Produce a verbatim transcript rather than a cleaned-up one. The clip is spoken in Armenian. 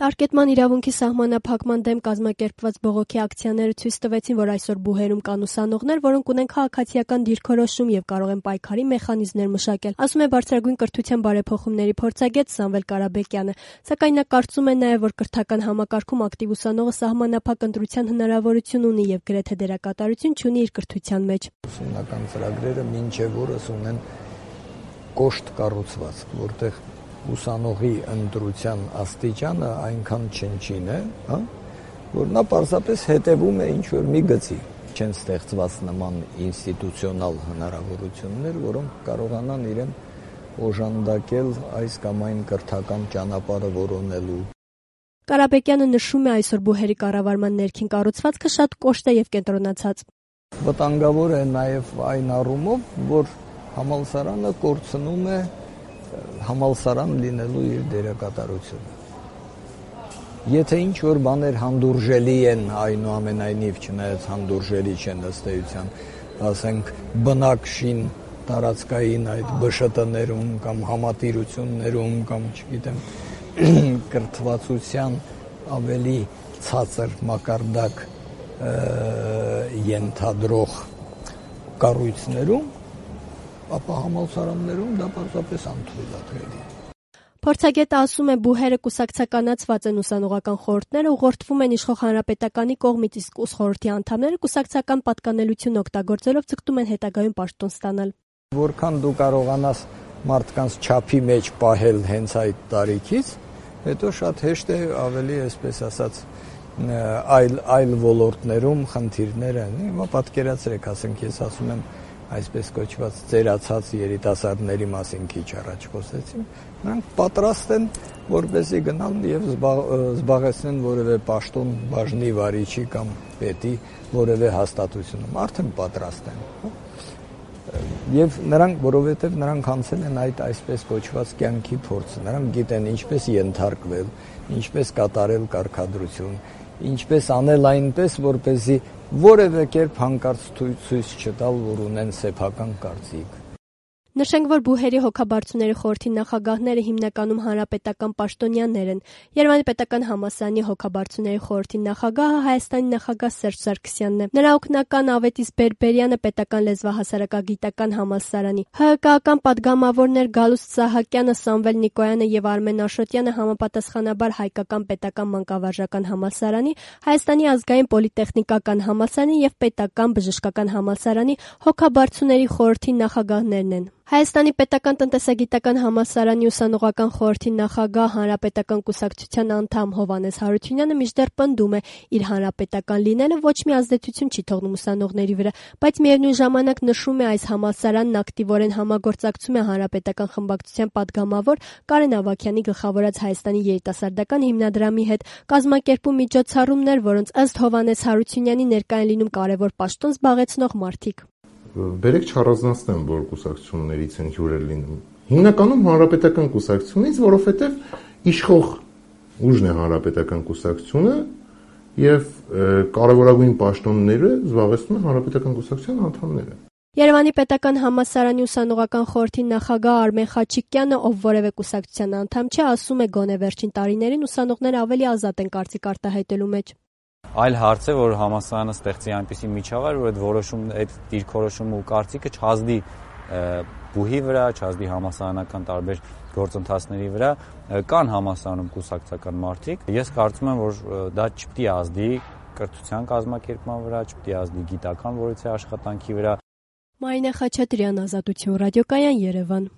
Տարկետման իրավունքի սահմանափակման դեմ կազմակերպված բողոքի ակցիաները ցույց տվեցին, որ այսօր բուհերում կան ուսանողներ, որոնք ունեն քաղաքացիական դիրքորոշում եւ կարող են պայքարի մեխանիզմներ մշակել, ասում է Բարձրագույն կրթության բարեփոխումների փորձագետ Սամվել Կարապետյանը, սակայն նա կարծում է նաեւ, որ կրթական համակարգում ակտիվ ուսանողը սահմանափակ ընտրության հնարավորություն ունի եւ գրեթե դերակատարություն չունի իր կրթության մեջ։ Ուսումնական ծրագրերը մինչեւ օրս ունեն կոշտ կառուցվածք, որտեղ ուսանողի ընտրության աստիճանը այնքան չնչին է, հա, որ նա պարզապես հետևում է ինչ-որ մի գծի։ Չեն ստեղծված նման ինստիտուցիոնալ հնարավորություններ, որոնք կարողանան իրեն օժանդակել այս կամ այն կրթական ճանապարհը որոնելու։ Կարապետյանը նշում է այսօր բուհերի կառավարման ներքին կառուցվածքը շատ կոշտ է եւ կենտրոնացած։ Վտանգավոր է նաեւ այն առումով, որ համալսարանը կորցնում է համալսարան լինելու իր դերակատարությունը։ Եթե ինչ-որ բաներ հանդուրժելի են, այնուամենայնիվ չնայած հանդուրժելի չեն ըստ էության, ասենք բնակշին տարածքային այդ бэ շ տներում կամ համատիրություններում կամ չգիտեմ կրթվածության ավելի ցածր մակարդակ ենթադրող կառույցներում, ապա համալսարաններում դա պարզապես անթույլատրելի է։ Փորձագետը ասում է, բուհերը կուսակցականացված են, ուսանողական խորհուրդները ուղղորդվում են իշխող հանրապետականի կողմից, իսկ ուսխորհրդի անդամները կուսակցական պատկանելություն օգտագործելով ցկտում են հետագայում պաշտոն ստանալ։ Որքան դու կարողանաս մարդկանց չափի մեջ պահել հենց այդ տարիքից, հետո շատ հեշտ է ավելի, այսպես ասած, այլ այլ ոլորտներում խնդիրներ են։ Հիմա պատկերացրեք, ասենք ես ասում եմ այսպես կոչված ծերացած երիտասարդների մասին քիչ առաջ խոսեցինք, նրանք պատրաստ են, որպեսզի գնան եւ զբաղեցնեն որևէ պաշտոն բաժնի վարիչի կամ պետի որևէ հաստատությունում, արդեն պատրաստ են։ Եվ նրանք, որովհետեւ նրանք անցել են այդ այսպես կոչված կյանքի փորձը, նրանք գիտեն ինչպես ենթարկվել, ինչպես կատարել կարգադրություն, ինչպես անել այնպես, որպեսզի որևէ կերպ հանկարծ ցույց չտալ, որ ունեն սեփական կարծիք։ Նշենք, որ բուհերի հոգաբարձուների խորհրդի նախագահները հիմնականում հանրապետական պաշտոնյաներ են։ Երևանի պետական համալսարանի հոգաբարձուների խորհրդի նախագահը Հայաստանի նախագահ Սերժ Սարգսյանն է։ Նրա օգնական Ավետիս Բերբերյանը պետական լեզվահասարակագիտական համալսարանի, ՀՀԿ-ական падգամավորներ Գալուստ Սահակյանը, Սամվել Նիկոյանը եւ Արմեն Աշոտյանը համապատասխանաբար Հայկական պետական մանկավարժական համալսարանի, Հայաստանի ազգային պոլիտեխնիկական համալսարանի եւ պետական բժշկական համալսարանի հոգաբարձուների խորհրդի նախագահներն են։ Հայաստանի պետական տնտեսագիտական համալսարանի ուսանողական խորհրդի նախագահ հանրապետական կուսակցության անդամ Հովհաննես Հարությունյանը մինչդեռ պնդում է, իր հանրապետական լինելը ոչ մի ազդեցություն չի թողնում ուսանողների վրա, բայց միևնույն ժամանակ նշում է, այս համալսարանն ակտիվորեն համագործակցում է հանրապետական խմբակցության падգամավոր Կարեն Ավագյանի գլխավորած Հայաստանի երիտասարդական հիմնադրամի հետ, կազմակերպում միջոցառումներ, որոնց ըստ Հովհաննես Հարությունյանի ներկա են լինում կարևոր պաշտոն զբաղեցնող մարդիկ։ Բերեք չառանձնացնեմ, որ կուսակցություններից են հյուրեր լինում։ Հիմնականում հանրապետական կուսակցությունից, որովհետև իշխող ուժն է հանրապետական կուսակցությունը եւ կարևորագույն պաշտոնները զբաղեցնում են հանրապետական կուսակցության անդամները։ Երևանի պետական համալսարանի ուսանողական խորհրդի նախագահ Արմեն Խաչիկյանը, ով որևէ կուսակցության անդամ չէ, ասում է, գոնե վերջին տարիներին ուսանողները ավելի ազատ են կարծիք արտահայտելու մեջ։ Այլ հարց է, որ համալսարանը ստեղծի այնպիսի միջավայր, որ այդ որոշում, այդ դիրքորոշումը ու կարծիքը չազդի բուհի վրա, չազդի համալսարանական տարբեր գործընթացների վրա, կան համալսարանում կուսակցական մարդիկ։ Ես կարծում եմ, որ դա չպետք է ազդի կրթության կազմակերպման վրա, չպետք է ազդի գիտական որոշի աշխատանքի վրա։ Մարինե Խաչատրյան, Ազատություն ռադիոկայան, Երևան։